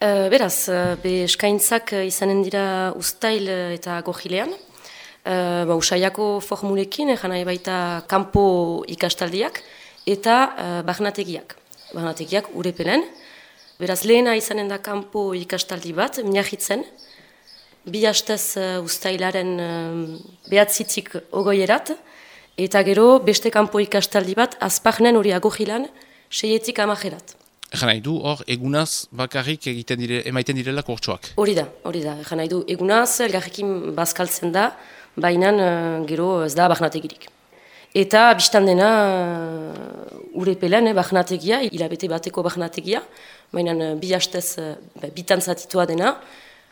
Beraz, be eskaintzak izanen dira uztail eta gojilean. Usaiako formulekin, nahi baita kanpo ikastaldiak eta barnategiak. Barnategiak urepelen. Beraz, lehena izanen da kanpo ikastaldi bat, Miagitzen. 2 hastez uztailaren 9-tik 20erat. Eta gero beste kanpo ikastaldi bat, Azparnen hori Gojilan 6-tik 10erat. Egan nahi du, hor, egunaz bakarrik emaiten direla kurtsoak. Hori da. Egan nahi du, egunaz, elgarrekin bazkaltzen da, baina gero ez da barnategirik. Eta biztan dena urepelen barnategia, hilabete bateko barnategia, baina 2 hastez bitan zatitua dena,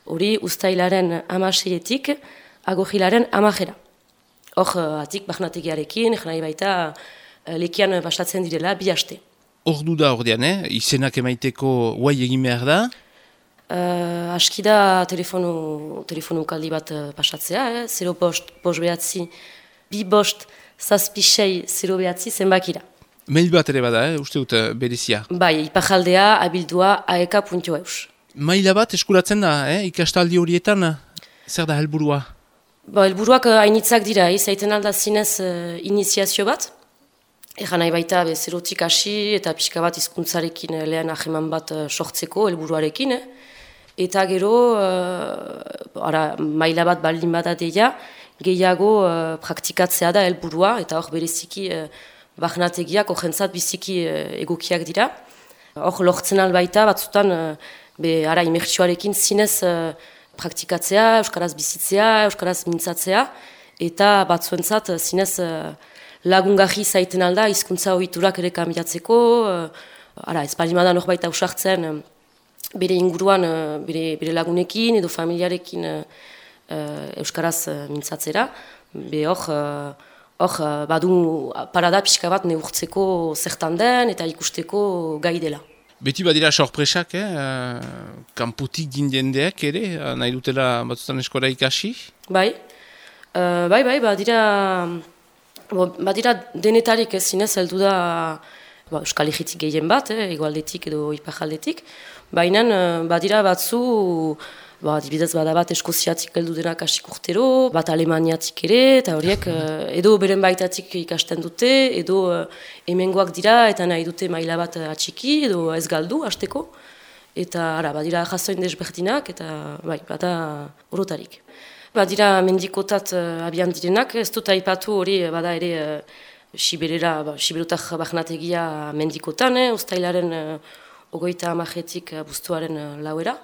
hori uztailaren 16-tik Gojilaren 10era. Hor, atik barnategiarekin, egan nahi baita lekian bastatzen direla 2 haste. Ordu da ordean, izenak emaiteko guai egin behar da? Aski da telefonu kaldi bat pasatzea, 0 bost behatzi, 2 bost zazpisei 0 behatzi zenbakira. Mail bat ere bada, uste dut berezia? Bai, ipajaldea abildua aeka.eus. Maila bat eskuratzen da, ikastaldi horietan, zer da helburua? Helburuak hainitzak dira, zaiten alda zinez iniziazio bat. Egan nahi baita zerotik hasi eta pixka bat hizkuntzarekin lehen aheman bat sortzeko helburuarekin. Eta gero, maila bat baldin bada deia, gehiago praktikatzea da helburua, eta hor bereziki barnategiak jentzat biziki egokiak dira. Hor lortzen albaita batzutan imertsioarekin zinez praktikatzea, euskaraz bizitzea, euskaraz mintzatzea, eta batzuentzat zinez lagungarri zaiten alda, hizkuntza ohiturak ere kambiatzeko, ez palimada norbaita usartzen bere inguruan, bere lagunekin edo familiarekin euskaraz mintzatzera. Hor, badu parada pixka bat neurtzeko zertan den eta ikusteko gai dela. Beti badira sorpresak, kanpotik gindendeak ere, nahi dutela batzutan eskola ikasi? Bai, badira denetarik zinez heldu da Euskal Herritik gehien bat, hegoaldetik edo iparaldetik, baina badira batzu, adibidez bada bat Eskoziatik heldu denak hasik urtero, bat Alemaniatik ere, eta horiek edo beren baitatik ikasten dute, edo hemengoak dira eta nahi dute maila bat atxiki edo ez galdu hasteko, eta badira jazoin desberdinak eta bada orotarik. Badira mendikotat abian direnak, ez dut aipatu hori bada ere Siberutak barnategia mendikotan, uztailaren 30etik abuztuaren 4era.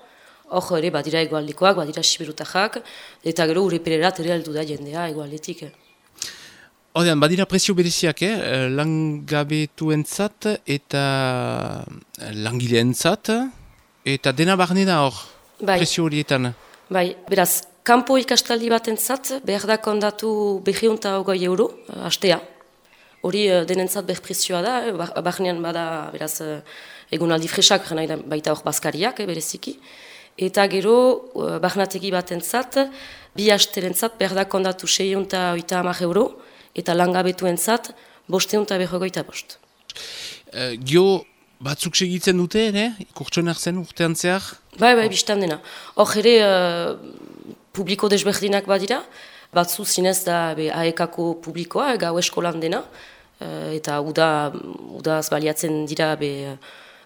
Hor ere badira egoaldikoak, badira Siberutajak, eta gero urepererat ere heldu da jendea egoaldetik. Odean, badira presio bereziak, langabetuentzat eta langileentzat, eta dena barne da hor, presio horietan. Bai, beraz, kanpo ikastaldi batentzat behar da kondatu 220 euro, hastea. Hori denentzat berprezioa da, barnean bada, beraz, egunaldi fresak, baita hor bazkariak, bereziki. Eta gero, barnategi batentzat, 2 hasterentzat behar da kondatu 650 euro, eta langabetuentzat 555. Gio, batzuk segitzen dute, ikurtsoen hartzen urtean zehar? Bai, biztan dena. Hor ere, publiko desberdinak badira, batzu zinez da AEK-ko publikoa, gau eskolan dena, eta udaz baliatzen dira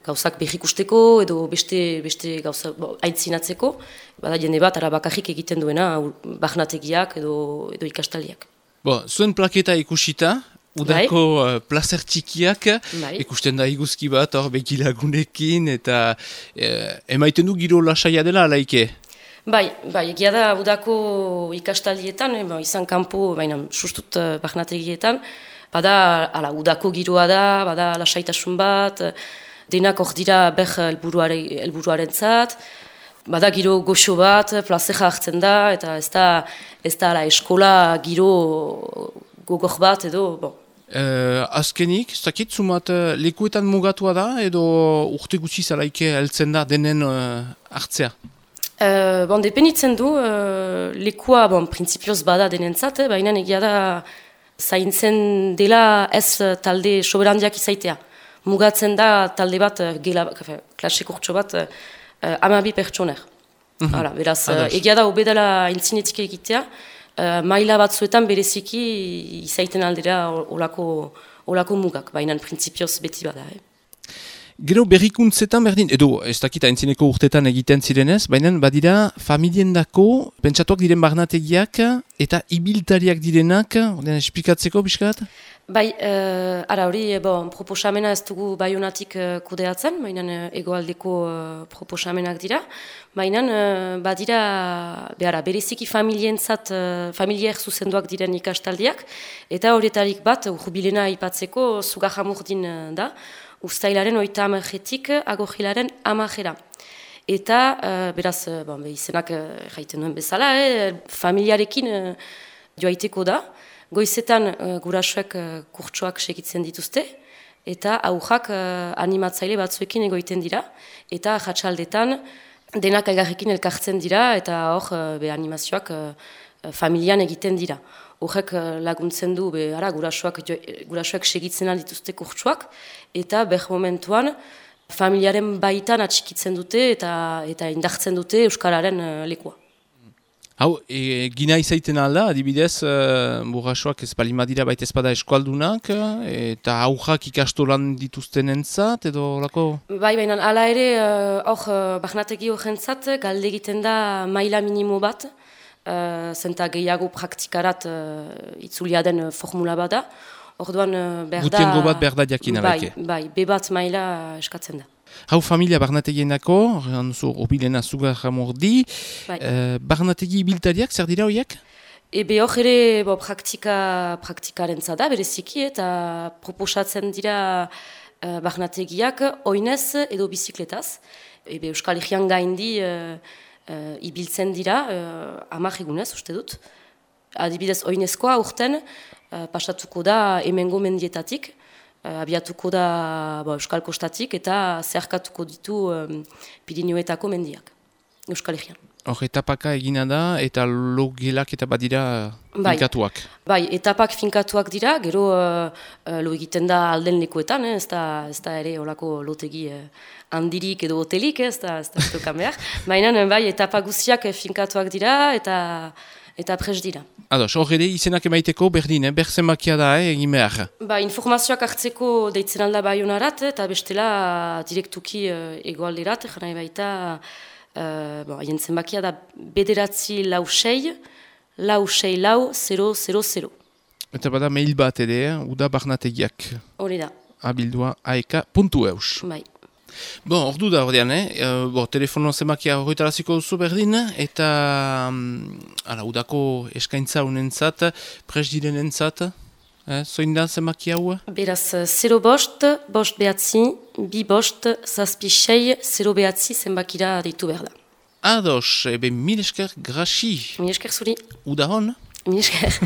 gauzak berrikusteko edo beste gauza aintzinatzeko, bada jende bat bakarrik egiten duena barnategiak edo ikastaliak. Zuen plaketa ikusita, udako plazer txikiak, ikusten da iguzki bat hor bekilagunekin, eta emaiten du giro lasaia dela alaike? Bai, egia da udako ikastaldietan, izan kanpo, baina sustut barnategietan, bada udako giroa da, bada lasaitasun bat, denak hor dira helburuaren zat, bada giro goxo bat, plazera hartzen da, eta ez da eskola giro gogor bat edo, Azkenik, ez dakit, zumat lekuetan mugatua da, edo urte gutxi zalaike heltzen da denen hartzea? Depenitzen du, lekua, printzipioz bada denentzat, baina egia da zaintzen dela ez talde soberandiak izaitea. Mugatzen da talde bat, klase kurtso bat, 12 pertsoner. Beraz, egia da obedala intzinetik egitea, maila batzuetan bereziki izaiten aldera olako mugak, baina printzipioz beti bada. Gero berrikuntzetan berdin, edo ez dakita entzineko urtetan egiten zirenez, baina badira familiendako pentsatuak diren barnategiak eta ibiltariak direnak, ordean esplikatzeko pixkat? Bai, hori proposamena ez dugu Baionatik kudeatzen, baina hegoaldeko proposamenak dira, baina badira bereziki familier zuzenduak diren ikastaldiak, eta horietarik bat, jubilena aipatzeko Zugarramurdin da, Uztailaren 30-etik Agorrilaren 10-era. Eta, beraz, izenak jaiten duen bezala, familiarekin joaiteko da, goizetan gurasoek kurtsoak segitzen dituzte, eta aurrak animatzaile batzuekin egoiten dira, eta jatsaldetan denak elgarrekin elkartzen dira, eta hor animazioak familian egiten dira. Horrek laguntzen du gurasoak segitzen dituzte kurtsoak, eta momentuan familiaren baitan atxikitzen dute eta indartzen dute Euskararen lekua. Hau, gina izaiten alda, adibidez, burrasoak ez balimadira baita ezpada eskualdunak, eta aurrak ikastolan dituzten entzat, edo lako? Bai, baina ala ere, barnategi horrentzat, galde egiten da maila minimo bat, zenta gehiago praktikarat itzulia den formula bada. Orduan, gutiengo bat berda jakin aleke. Bai, B1 maila eskatzen da. Hau familia barnategienako, obilena Zugarramurdi, barnategi ibiltariak, zer dira horiek? Hor ere praktikaren zada, bereziki, eta proposatzen dira barnategiak oinez edo bizikletaz. Euskal Herrian gaindi ibiltzen dira, 10 egunez, uste dut. Adibidez, oinezkoa urten pasatuko da hemengo mendietatik, abiatuko da Euskal Kostatik eta zerkatuko ditu Pirinioetako mendiak, Euskal Herrian. Hor, etapaka egina da eta logelak eta badira finkatuak. Bai, etapak finkatuak dira, gero lo egiten da alden lekuetan, ez da ere olako lotegi handirik edo hotelik, ez da estokan behar. Baina, bai, etapa guztiak finkatuak dira eta pres dira. Ados, hor ere izenak emaiteko berdin, berzenbakia da, egin behar. Informazioak hartzeko deitzen alda Baionarat, eta bestela direktuki egoalderat, jana baita, jentzen bakia da 9-6-6-6-0-0-0. Eta bada mail bat ere, uda barnategiak. Hori da. Abildua aeka.eus. Bai. Ordu da ordean, telefono zemakia horretaraziko duzu berdin, eta udako eskaintza unentzat, pres direnentzat, zoin da zemakia hau? Beraz, 0 bost, bost behatzi, bi bost, zazpi sei, 0 behatzi zenbakira deitu behar da. Ados, mil esker grasi. Mil esker zuri. Uda hon? Mil esker.